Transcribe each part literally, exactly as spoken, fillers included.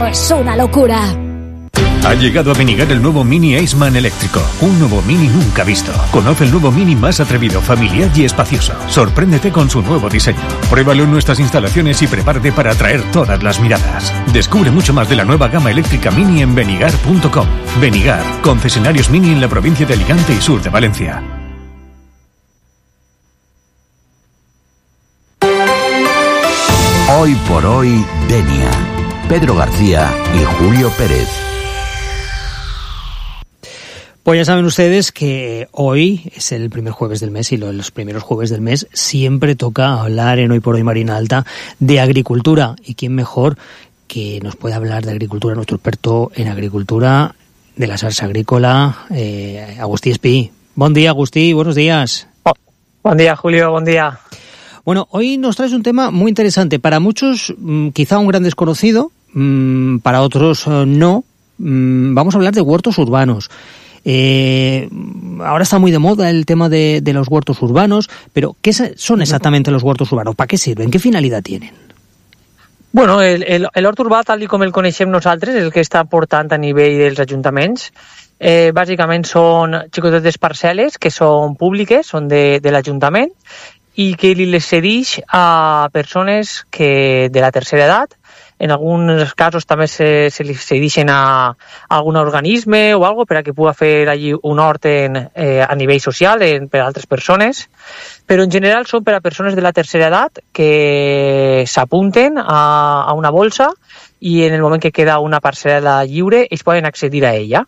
todo es una locura. Ha llegado a Benigar el nuevo Mini Aceman eléctrico. Un nuevo Mini nunca visto. Conoce el nuevo Mini más atrevido, familiar y espacioso. Sorpréndete con su nuevo diseño. Pruébalo en nuestras instalaciones y prepárate para atraer todas las miradas. Descubre mucho más de la nueva gama eléctrica Mini en benigar punto com. Benigar, concesionarios Mini en la provincia de Alicante y sur de Valencia. Hoy por hoy, Denia. Pedro García y Julio Pérez. Pues ya saben ustedes que hoy es el primer jueves del mes y los primeros jueves del mes siempre toca hablar en Hoy por Hoy Marina Alta de agricultura. ¿Y quién mejor que nos puede hablar de agricultura? Nuestro experto en agricultura de la Sarsa Agrícola, eh, Agustí Espí. Buen día, Agustí, buenos días. Oh, buen día, Julio, buen día. Bueno, hoy nos traes un tema muy interesante. Para muchos, mmm, quizá un gran desconocido, mmm, para otros uh, no. Mmm, vamos a hablar de huertos urbanos. Eh, ahora está muy de moda el tema de, de los huertos urbanos, pero ¿qué son exactamente los huertos urbanos? ¿Para qué sirven? ¿Qué finalidad tienen? Bueno, el, el, el hort urbà, tal com el coneixem nosaltres, el que està portant a nivell dels ajuntaments, eh, bàsicament són xicotetes parcel·les que són públiques, són de, de l'Ajuntament, i que li les cedeix a persones que de la tercera edat. En alguns casos també se, se li cedeixen a, a algun organisme o algo per a que pugui fer allí un hort en, eh, a nivell social en, per a altres persones, però en general són per a persones de la tercera edat que s'apunten a, a una bolsa i en el moment que queda una parcel·la lliure ells poden accedir a ella.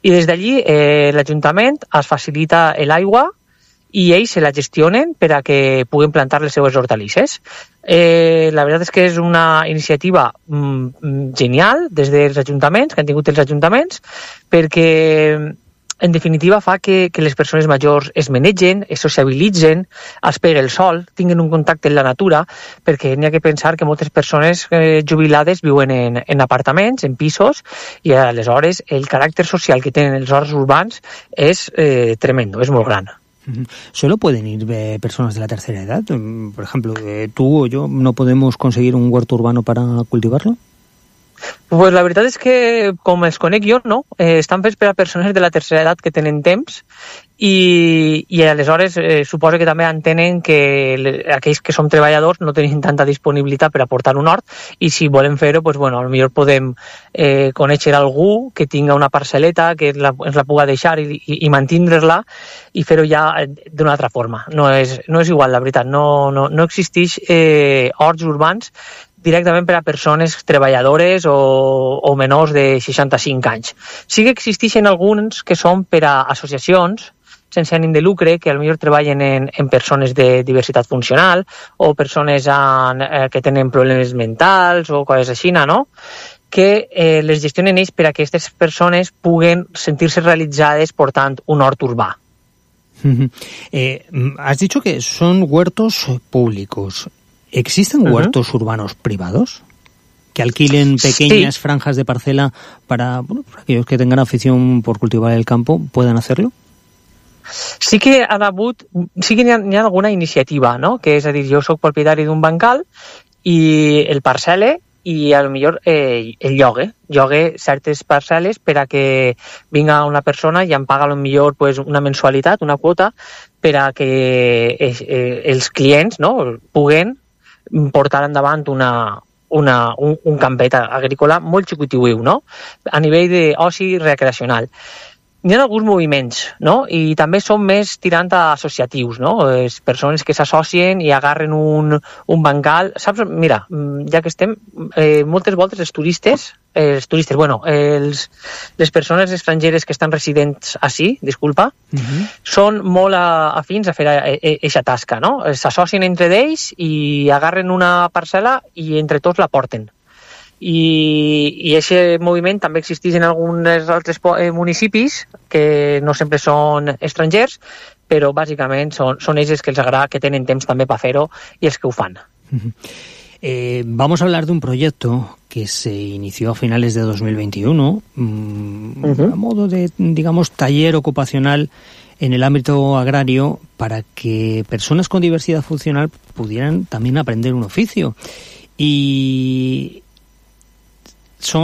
I des d'allí eh, l'Ajuntament es facilita l'aigua i ells se la gestionen per a que puguen plantar les seues hortalisses. Eh, la veritat és que és una iniciativa mm, genial des dels ajuntaments, que han tingut els ajuntaments, perquè en definitiva fa que, que les persones majors es manegen, es sociabilitzen, es pegui el sol, tinguin un contacte amb la natura, perquè n'hi ha que pensar que moltes persones eh, jubilades viuen en, en apartaments, en pisos, i aleshores el caràcter social que tenen els horts urbans és eh, tremendo, és molt gran. ¿Solo pueden ir eh, personas de la tercera edad? Por ejemplo, eh, tú o yo no podemos conseguir un huerto urbano para cultivarlo. Pues la veritat és que, com els conec jo, no. Eh, estan fets per a persones de la tercera edat que tenen temps i, i aleshores eh, suposo que també entenen que le, aquells que som treballadors no tenim tanta disponibilitat per a portar un hort i si volem fer-ho, pues, bueno, potser podem eh, conèixer algú que tinga una parcel·leta que la, ens la puga deixar i, i, i mantindre-la i fer-ho ja d'una altra forma. No és, no és igual, la veritat. No, no, no existeix eh, horts urbans directament per a persones treballadores o, o menors de seixanta-cinc anys. Sí que existeixen alguns que són per a associacions sense ànim de lucre, que potser treballen en, en persones de diversitat funcional o persones en, eh, que tenen problemes mentals o coses així, no? Que eh, les gestionen ells per a que aquestes persones puguen sentir-se realitzades portant un hort urbà. Eh, has dicho que son huertos públicos. ¿Existen uh-huh. huertos urbanos privados que alquilen pequeñas sí. franjas de parcela para, bueno, para aquellos que tengan afición por cultivar el campo puedan hacerlo? Sí que han hagut, sí que hi ha, hi ha alguna iniciativa, no? Que és a dir, jo soc propietari d'un bancal i el parcel·le i a lo millor eh, el llogue, llogue certes parcel·les per a que vinga una persona i em paga a lo millor pues, una mensualitat, una quota, per a que eh, eh, els clients no, puguen portar endavant una, una, un, un campet agrícola molt xicotiuiu, no? A nivell d'oci recreacional. Hi ha alguns moviments, no? I també són més tirant a associatius, no? Les persones que s'associen i agarren un, un bancal. Saps? Mira, ja que estem, eh, moltes voltes els turistes, eh, els turistes, bueno, els, les persones estrangeres que estan residents ací, disculpa, uh-huh. són molt afins a fer aquesta tasca, no? S'associen entre ells i agarren una parcel·la i entre tots la porten. i aquest moviment també existeix en alguns altres municipis que no sempre són estrangers, però bàsicament són, són ells que els agrada, que tenen temps també per fer-ho i els que ho fan. Eh, vamos a hablar de un proyecto que se inició a finales de dos mil veintiuno, mmm, uh-huh. a modo de, digamos, taller ocupacional en el ámbito agrario para que personas con diversidad funcional pudieran también aprender un oficio. Y